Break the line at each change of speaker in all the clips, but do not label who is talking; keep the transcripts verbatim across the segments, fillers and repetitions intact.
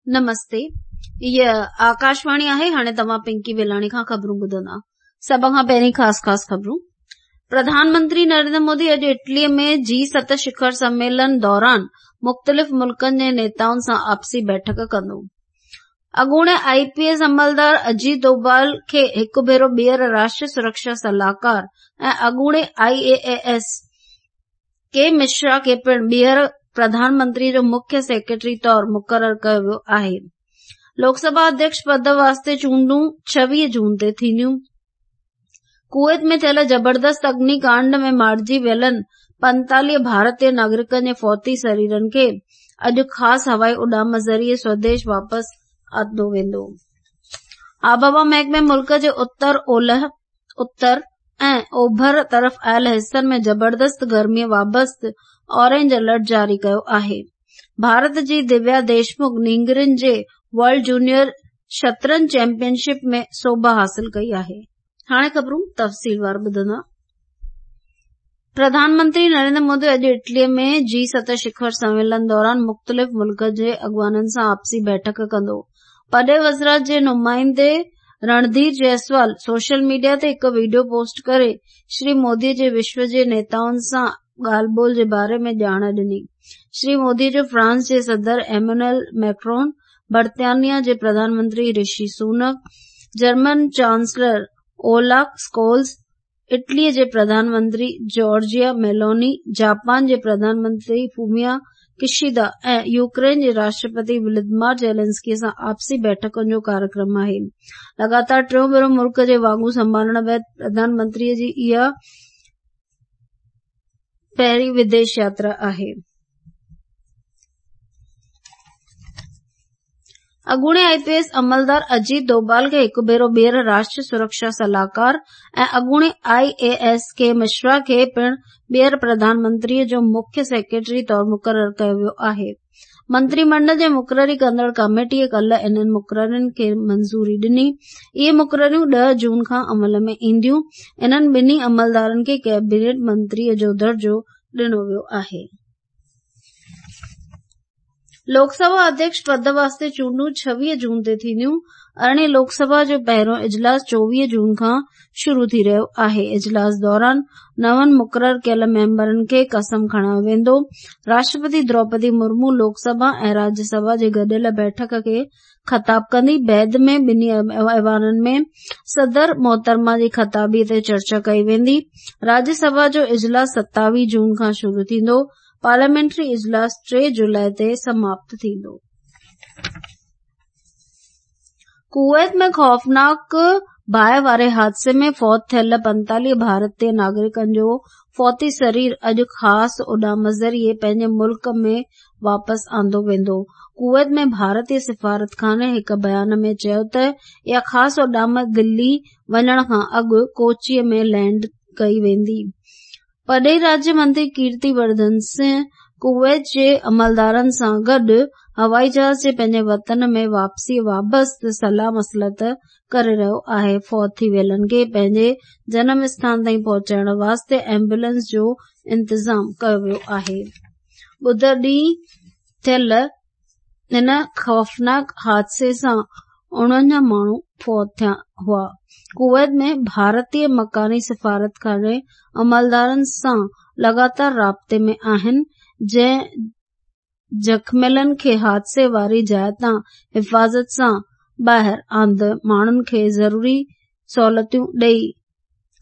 नमस्ते, हीअ आकाशवाणी आहे। हाणे तव्हां पिंकी वेलाणी खां ख़बरूं ॿुधंदा। सभ खां पहिरीं ख़ासि ख़ासि ख़बरूं। प्रधानमंत्री नरेंद्र मोदी अॼु इटलीअ में जी सत शिखर सम्मेलन दौरान मुख़्तलिफ़ मुल्कनि जे नेताउनि सां आपसी बैठक कंदो। अॻूणे I P S अमलदार Ajit Doval खे हिकु भेरो ॿीहर राष्ट्रीय सुरक्षा सलाहकार ऐं अॻूणे I A S K Mishra खे पिणु ॿीहर प्रधानमंत्री जो मुख्य सेक्रेटरी तौर मुक़ररु कयो वियो आहे। लोकसभा अध्यक्ष पद वास्ते चूंडूं छवीह जून ते थींदियूं। कुवैत में थियल ज़बरदस्त अग्निकांड में मारिजी वियलनि पंतालीह भारतीय नागरिकनि जे फौती शरीरनि खे अॼु ख़ासि हवाई उॾाम ज़रिए स्वदेश वापसि आंदो वेंदो। आबहवा महकमे मुल्क जे उत्तर, ओलह, उत्तर ऐं ओभर तरफ़ आयल हिसनि में ज़बरदस्त गर्मीअ बाबति ऑरेंज अलर्ट जारी कयो आहे। भारत जी दिव्या देशमुख नींगरनि जे वर्ल्ड जूनियर शतरंज चैंपियनशिप में सोभ हासिल कई आहे। हाणे ख़बरूं तफ़सीलवार ॿुधंदा। प्रधानमंत्री नरेंद्र मोदी अॼु इटलीअ में जी सत शिखर सम्मेलन दौरान मुख़्तलिफ़ मुल्कनि जे अॻवाननि सां आपसी बैठक कंदो। पॾे वज़ारत जे नुमाइंदे रणधीर जायसवाल सोशल मीडिया ते हिकु वीडियो पोस्ट करे श्री मोदी जे विश्व जे नेताउनि सां ॻाल्हि ॿोल जे बारे में ॼाण ॾिनी। श्री मोदी जो फ्रांस जे सदर एमैनुअल मैक्रोन, बर्तानिया जे प्रधानमंत्री Rishi Sunak, German chancellor Olaf Scholz, इटलीअ जे प्रधानमंत्री जॉर्जिया मेलोनी, जापान जे प्रधानमंत्री फूमियो किशिदा ऐं यूक्रेन जे राष्ट्रपति व्लादिमीर ज़ेलेंस्की सां आपसी बैठकुनि जो कार्यक्रम आहे। लगातार टियों भेरो मुल्क जे वाॻूं संभालण बाद प्रधानमंत्रीअ जी इहा पहिरीं विदेश यात्रा आहे। अॻूणे I P S अमलदार Ajit Doval खे हिकु भेरो ॿीहर राष्ट्रीय सुरक्षा सलाहकार ऐं अॻूणे I A S K Mishra खे पिणु ॿीहर प्रधानमंत्रीअ जो मुख्य सेक्रेटरी तौर मुक़ररु कयो वियो आहे। मंत्रीमंडल जे मुक़ररी कंदड़ कमेटीअ कल्ह इन्हनि मुक़ररियुनि खे मंज़ूरी ॾिनी। इहे मुक़ररियूं ॾह जून खां अमल में ईंदियूं। इन्हनि ॿिन्ही अमलदारनि खे कैबिनेट मंत्रीअ जो दर्जो ॾिनो वियो आहे। लोकसभा अध्यक्ष पद वास्ते चूंडूं छवीह जून ते थींदियूं। अरिड़हीं लोकसभा जो पहिरियों इजलास चोवीह जून खां शुरू थी रहियो आहे। इजलास दौरान नवनि मुक़ररु कयल मेंबरनि खे कसम खणायो वेंदो। राष्ट्रपति द्रौपदी मुर्मू लोकसभा ऐं राज्यसभा जे गॾियल बैठक खे ख़िताब कंदी। बैद में ॿिन्ही ऐवाननि में सदर मोहतरमा जी ख़िताबीअ ते चर्चा कई वेंदी। राज्यसभा जो इजलास सतावीह जून खां शुरू थींदो। पार्लियामेंट्री इजलास टे जुलाई ते समाप्त थींदो। कुवैत में ख़ौफ़नाक बाहि वारे हादसे में फौत थियल पंतालीह भारतीय नागरिकनि जो फौती शरीर अॼु ख़ासि उॾाम ज़रिए पंहिंजे मुल्क में वापसि आंदो वेंदो। कुवैत में भारतीय सिफारतखाने हिकु बयान में चयो त इहा ख़ासि उॾाम दिल्ली वञण खां अॻु कोचीअ में लैंड कई वेंदी। पॾेही राज्य मंत्री कीर्ति वर्धन सिंह कुवैत जे अमलदारनि सां गॾु हवाई जहाज़ जे पंहिंजे वतन में वापसीअ बाबति सलाह मसलत करे रहियो आहे। फौत थी वियलनि खे पंहिंजे जनम स्थान ताईं पहुचाइण वास्ते एम्बुलेंस जो इंतज़ाम कयो वियो आहे। ॿुधर ॾींहुं थियल हिन ख़ौफ़नाक हादसे सां उणवंजाह माण्हू फौत थिया हुआ। कुवैत में भारतीय मकानी सिफारतखाने अमलदारनि सां लगातार राब्ते में आहिनि, जंहिं ज़ख़्मियलनि खे हादसे वारी जाइ तां हिफ़ाज़त सां ॿाहिरि आंदे माण्हुनि खे ज़रूरी सहूलियतूं ॾेई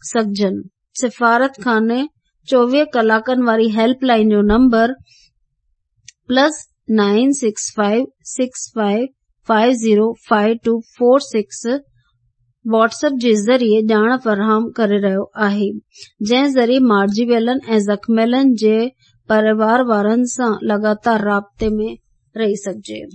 सघजनि। सिफारतखाने चोवीह कलाकनि वारी हेल्पलाइन जो number plus nine six five six five five zero five two four six WhatsApp जे ज़रिए ॼाण फराहम करे रहियो आहे, जंहिं ज़रिए मारिजी वियलनि ऐं ज़ख़्मियलनि जे परिवार वारनि सां लगातार राब्ते में रही सघिजे।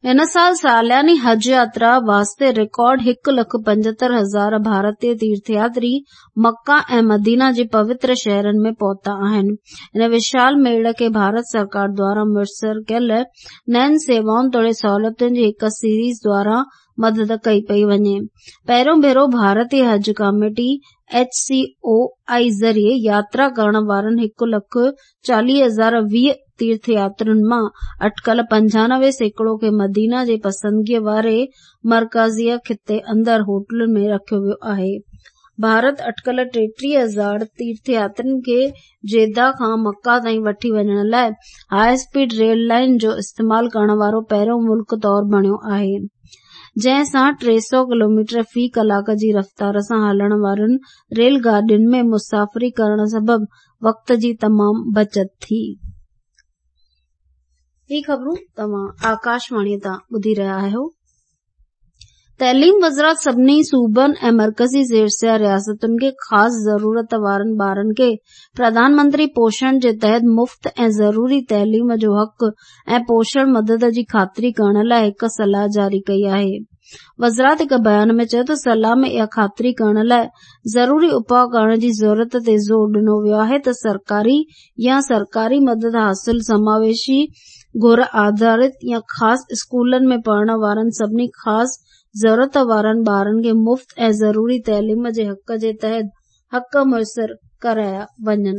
हिन साल सालियानी हज यात्रा वास्ते रिकॉर्ड हिकु लख पंजहतरि हज़ार भारतीय तीर्थयात्री मक्का ऐं मदीना जे पवित्र शहरनि में पहुता आहिनि। हिन विशाल मेड़ खे भारत सरकार द्वारा मुयसर कयल नयुनि सेवाउनि तोड़े सहूलियतुनि जी हिकु सीरीज़ द्वारा मदद कई पई वञे। पहिरियों भेरो भारतीय हज committee H C O I ज़रिए यात्रा करण वारनि हिकु लख चालीह हज़ार वीह تيرٿ ياترين مان اٽڪل پنجانوي سيڪڙو کي مدينه جي پسندگيء واري مرڪزي خطي اندر هوٽلن ۾ رکيو ويو آهي. ڀارت اٽڪل ٽيٽيهه هزار تيرٿ ياترين کي جده کان مڪه تائين وٺي وڃڻ لاءِ هاءِ اسپيڊ ريل لائن جو استعمال ڪرڻ وارو پهريون ملڪ طور بڻيو آهي، جنهن سان ٽي سؤ ڪلوميٽر في ڪلاڪ جي رفتار سان هلڻ وارين ريل گاڏين ۾ مسافري ڪرڻ سبب وقت جي تمام بچت ٿي. هي خبرون توهان آڪاشواڻيءَ تان ٻڌي رهيا آهيو. تعليم وزارت سڀني صوبن ۽ مرڪزي زير رياستن کي خاص ضرورت وارن ٻارن کي پرڌان منتري پوشڻ جي تحت مفت ۽ ضروري تعليم جو حق ۽ پوشڻ مدد جي خاطري ڪرڻ لاءِ هڪ صلاح جاري ڪئي آهي. وزارت هڪ بيان ۾ چيو ته صلاح ۾ اها خاطري ڪرڻ لاءِ ضروري اپاءُ ڪرڻ جي ضرورت تي زور ڏنو ويو آهي ته سرڪاري يا سرڪاري مدد حاصل سماويشي گهر آڌارت يا خاص اسڪولن ۾ پڙهڻ وارن سڀني خاص ضرورت وارن ٻارن کي مفت ۽ ضروري تعليم جي حق جي تحت حق ميسر ڪرايا وڃن.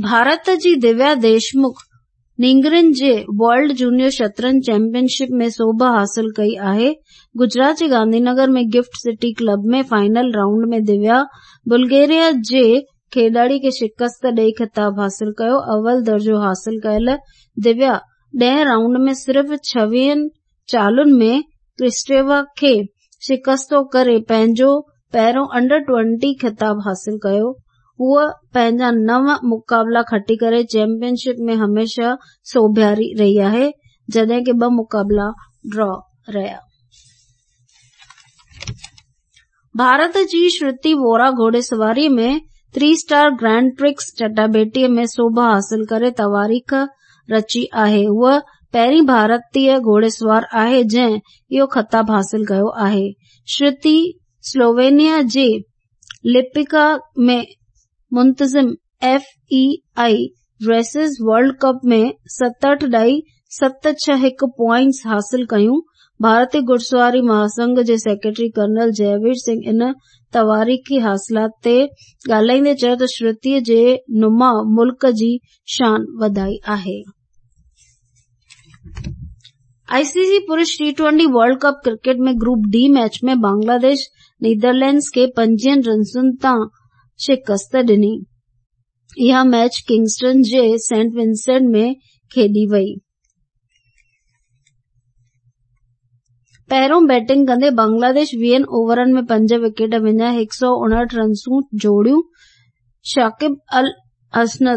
ڀارت جي دويا ديشمک نينگرين جي ورلڊ جونيئر شطرنج چيمپئن شپ ۾ سوڀ حاصل ڪئي آهي. گجرات جي Gandhinagar ۾ GIFT City club ۾ final round ۾ Divya Bulgaria جي کيڏاڙي کي شڪست ڏئي خطاب حاصل ڪيو. اول درجو حاصل ڪيل دويا ڏهين رائونڊ ۾ صرف ڇويهن چالن ۾ ڪرسٽيوا کي شڪستو ڪري پنهنجو پهريون انڊر ٽوئنٽي خطاب حاصل ڪيو. هوءَ پنهنجا نو مقابلا کٽي ڪري چيمپئن شپ ۾ هميشه سوڀياري رهي آهي، جڏهن ڪه ٻه مقابلا ڊرا رهيا. ڀارت جي شروتي وورا گهوڙيسواريءَ ۾ ٿري اسٽار گرينڊ پرڪس چٽاڀيٽيءَ ۾ سوڀ حاصل ڪري تواريخ رچي آهي. هوءَ پهرين ڀارتيه گهوڙيسوار آهي جنهن اهو خطاب حاصل ڪيو آهي. شروتي سلووينيا جي لپڪا ۾ منتظم F E I races world cup ۾ ستهٺ ڏهائي ست ڇهه هڪ پوائنٽس حاصل ڪيون. ڀارتيه گهڙسواري مهاسنگهه جي سيڪريٽري ڪرنل جئوير سنگهه ان تواريخي حاصلات تي ڳالهائيندي چيو ته شروتيءَ جي نماءُ ملڪ جي شان وڌائي آهي. آئي سي سي پرش T twenty world cup cricket ۾ group D match ۾ Bangladesh Netherlands کي پنجويهن رنسن تان شڪست ڏني. اها ميچ ڪنگسٽن جي سينٽ ونسينٽ ۾ کيڏي وئي. پهريون بيٽنگ ڪندي بنگلاديش ويهن اوورن ۾ پنج وڪيٽ وڃائي هڪ سؤ اڻهٺ رنسون جوڙيون. شاڪب ال حسن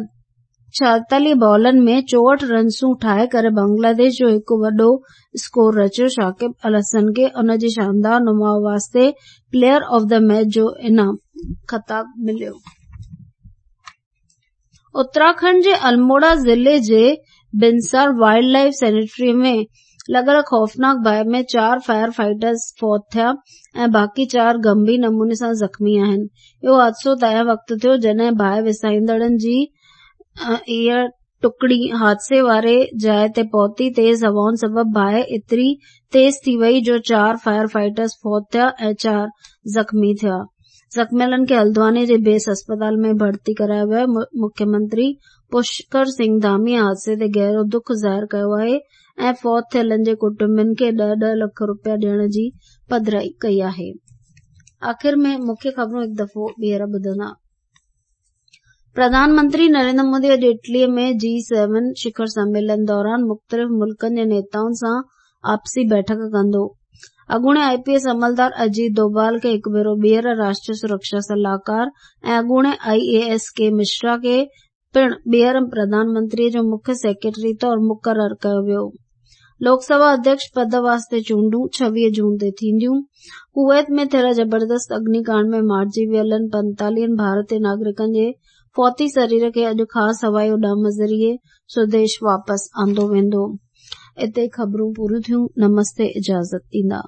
ڇائيتاليهه بالن ۾ چوهٺ رنسون ٺاهي ڪري بنگلاديش جو هڪ وڏو اسڪور رچيو. شاڪب ال حسن کي ان جي شاندار نماءُ واسطي پليئر آف the match جو انعام خطاب مليو. اتراکنڊ جي الموڙا ضلعي جي بنسار وائلڊ لائيف سينچري ۾ لڳل خوفناڪ باهه ۾ چار فائر فائٽرز فوت ٿيا ۽ باقي چار گنڀير نموني سان زخمي آهن. اهو حادثو تنهن وقت ٿيو جڏهن باهه وسائيندڙن جي اها ٽڪڙي حادثي واري جاءِ تي پهتي. تيز هوائن سبب باهه ايتري تيز ٿي وئي جو چار فائر فائٽرز فوت ٿيا ۽ چار زخمي ٿيا. زخميلن کي هلدواني جي بيس اسپتال ۾ ڀرتي ڪرايو ويو آهي. مکيه منتري پشڪر سنگهه ڌامي حادثي تي گهرو دک ظاهر ڪيو آهي ۽ فوت ٿيلن جي ڪٽنبن کي ڏهه ڏهه لک رپيا ڏيڻ جي پڌرائي ڪئي آهي. آخر ۾ مکيه خبرون هڪ دفعو ٻيهر ٻڌندا. پرڌان منتري نريندر مودي اڄ اٽليءَ ۾ جي سيون شکر سميلن دوران مختلف ملڪن جي نيتائن سان آپسي بيٺڪ ڪندو. اڳوڻي I P S عملدار اجيت دوڀال کي هڪ ڀيرو ٻيهر راشٽريه سرڪشا صلاحڪار ۽ اڳوڻي I A S K Mishra کي پڻ ٻيهر پرڌان منتريءَ جو مکيه سيڪريٽري طور مقرر ڪيو ويو. لوڪ سڀا اڌيڪش پد واسطي چونڊون ڇويهه جون تي ٿينديون. ڪويت ۾ ٿيل زبردست اگنيڪانڊ ۾ مارجي ويلن پنتاليهن ڀارتيه ناگرڪن جي فوتي سرير کي اڄ خاص هوائي اڏام ذريعي سوديش واپس آندو ويندو. اتي خبرون پوريون ٿيون. نمستي، اجازت ڏيندا.